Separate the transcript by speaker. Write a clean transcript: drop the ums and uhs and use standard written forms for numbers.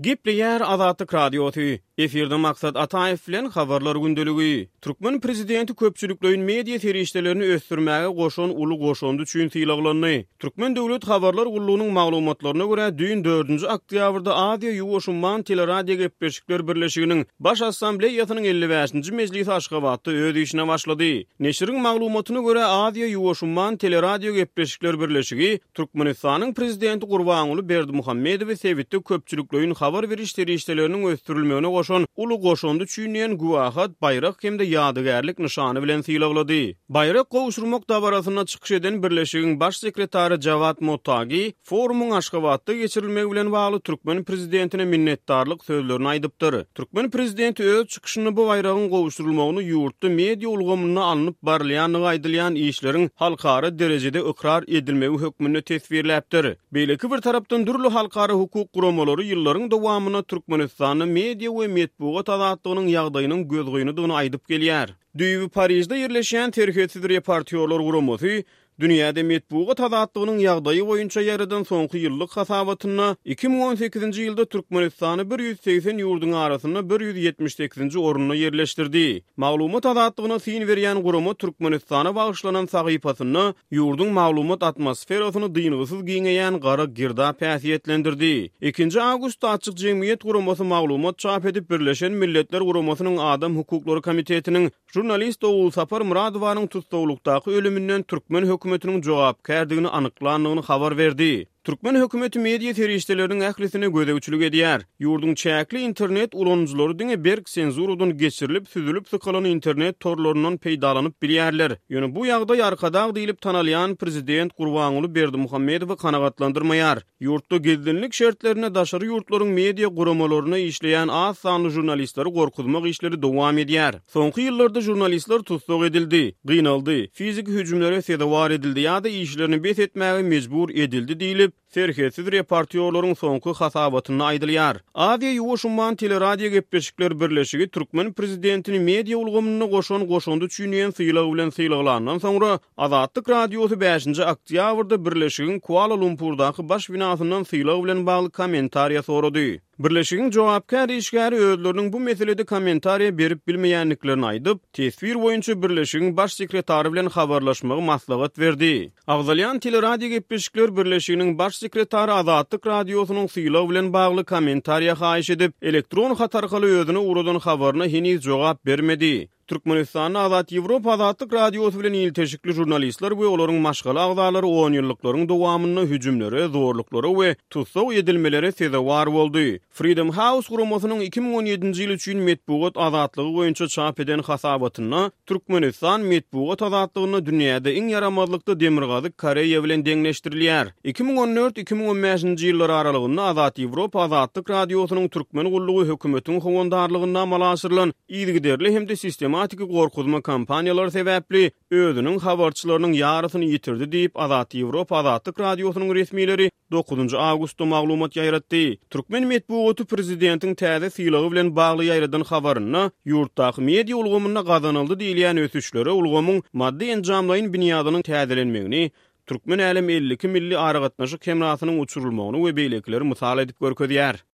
Speaker 1: Gepleýär Azatlyk Radiosy, Efirde Maksat Ataýew bilen Habarlar gündeligi. Türkmen prezidenti köpçülikleýin media serişdelerini ösdürmäge goşan uly goşandy üçin sylaglandy. Türkmen döwlet habarlar gullugynyň maglumatlaryna görä, düýn dördünji oktýabrda Aziýa-Ýuwaş umman teleradiogepleşikler birleşiginiň Baş Assambleýasynyň 55-nji mejlisi Aşgabatda öz işine başlady. Neşiriň maglumatyna görä, Aziýa-Ýuwaş umman teleradiogepleşikler birleşigi Türkmenistanyň Prezidenti Gurbanguly Berdimuhamedowy sebitde köpçülikleýin habar beriş serişdeleriniň ösdürilmegine goşan uly goşandy üçin diýen güwähat, baýrak hem-de ýadygärlik nyşany bilen sylaglady. Baýrak gowşurmak dabarasynda çykyş eden birleşigiň Baş sekretary Jawad Mottagi forumyň Aşgabatda geçirilmegi bilen bagly türkmen Prezidentine minnetdarlyk sözlerini aýdypdyr. Türkmen Prezidenti öz çykyşynda bu baýragyň gowşurylmagyny ýurtda media ulgamynda alnyp barylýandygy aýdylýan işleriň halkara derejede ykrar edilmegi hökmünde teswirläpdir. Beýleki bir tarapdan dürli halkara hukuk guramalary ýyllaryň dowamynda Türkmenistanda media we metbugat azatlygynyň ýagdaýynyň gözgynydygyny aýdyp gelýär. Düýbi Parižde ýerleşýän Serhetsiz reportýorlar guramasy Dünýäde metbugat azatlygynyň ýagdaýy boýunça ýaýradan soňky ýyllyk hasabatynda 2018-nji ýylda Türkmenistany 180 ýurduň arasynda 178-nji orunda ýerleşdirdi. Maglumat azatlygyna syn berýän gurama Türkmenistana bagyşlanan sahypasynda ýurduň maglumat atmosferasyny dyngysyz giňeýän gara girdap häsiýetlendirdi. Ikinji awgustda Açyk jemgyýet guramasy maglumat çap edip, Birleşen Milletler Guramasynyň Adam hukuklary komitetiniň Žurnalist Ogulsapar Myradowanyň tussaglykdaky ölüminden türkmen hökümetiniň jogapkärdigini anyklandygyny habar berdi. Türkmen hökümeti media serişdeleriniň ählisine gözegçilik edýär. Ýurduň çäkli internet ulanyjylary diňe berk senzuradan geçirilip, süzülip sykalan internet torlaryndan peýdalanyp bilýärler. Ýöne bu ýagdaý Arkadag diýlip tanalýan prezident Gurbanguly Berdimuhamedowy kanagatlandyrmaýar. Ýurtda gizlinlik şertlerinde daşary ýurtlaryň media guramalarynda işleýän az sanly žurnalistleri gorkuzmak işleri dowam edýär. Soňky ýyllarda žurnalistler tussag edildi, gynaldy, fiziki hüjümlere sezewar edildi ýa-da işlerini bes etmäge mejbur edildi diýlip, Serhetsiz reportýorlaryň soňky hasabatynda aýdylýar. Aziýa-Ýuwaş umman teleradiogepleşikler birleşigi türkmen prezidentini media ulgamynda goşan goşandy üçin diýen sylag bilen sylaglandan soňra, Azatlyk Radiosy bäşinji oktýabrda birleşigiň Kuala-Lumpurdaky baş binasyndan sylag bilen bagly kommentariýa sorady. Birleşigiň jogapkär işgäri özleriniň bu meselede kommentariýa berip bilmeýändiklerini aýdyp, teswir boýunça birleşigiň baş sekretary bilen habarlaşmagy maslahat berdi. Agzalýan teleradiogepleşikler birleşiginiň baş sekretary Azatlyk Radiosynyň sylag bilen bagly kommentariýa haýyş edip, elektron hat arkaly özüne ugradan habaryna heniz jogap bermedi. Türkmenistanda Azat Ýewropa Azatlyk Radiosy bilen ilteşikli žurnalistler we olaryň maşgala agzalary onýyllyklaryň dowamynda hüjümlere, zorluklara we tussag edilmelere sezewar boldy. Freedom House guramasynyň 2017-nji ýyl üçin metbugat azatlygy boýunça çap eden hasabatynda Türkmenistan metbugat azatlygynda dünýäde iň ýaramazlykda Demirgazyk Koreýa bilen deňleşdirilýär. 2014, 2015-nji ýyllar aralygynda Azat Ýewropa Azatlyk Radiosynyň türkmen gullugy hökümetiň howandarlygynda amala aşyrylan Yzygiderli hem-de sistematiki gorkuzma kampaniýalary sebäpli özüniň habarçylarynyň ýarysyny ýitirdi diýip, Azat Ýewropa Azatlyk Radiosynyň resmileri dokuzynjy awgustda maglumat ýaýratdy. Türkmen metbugaty prezidentiň täze sylagy bilen bagly ýaýradan habarynda ýurtdaky media ulgamynda gazanyldy diýilýän ösüşlere ulgamyň maddy-enjamlaýyn binýadynyň täzelenmegini, Türkmen älem 52 milli aragatnaşyk hemrasynyň uçurylmagyny we beýlekileri mysal edip görkezýär.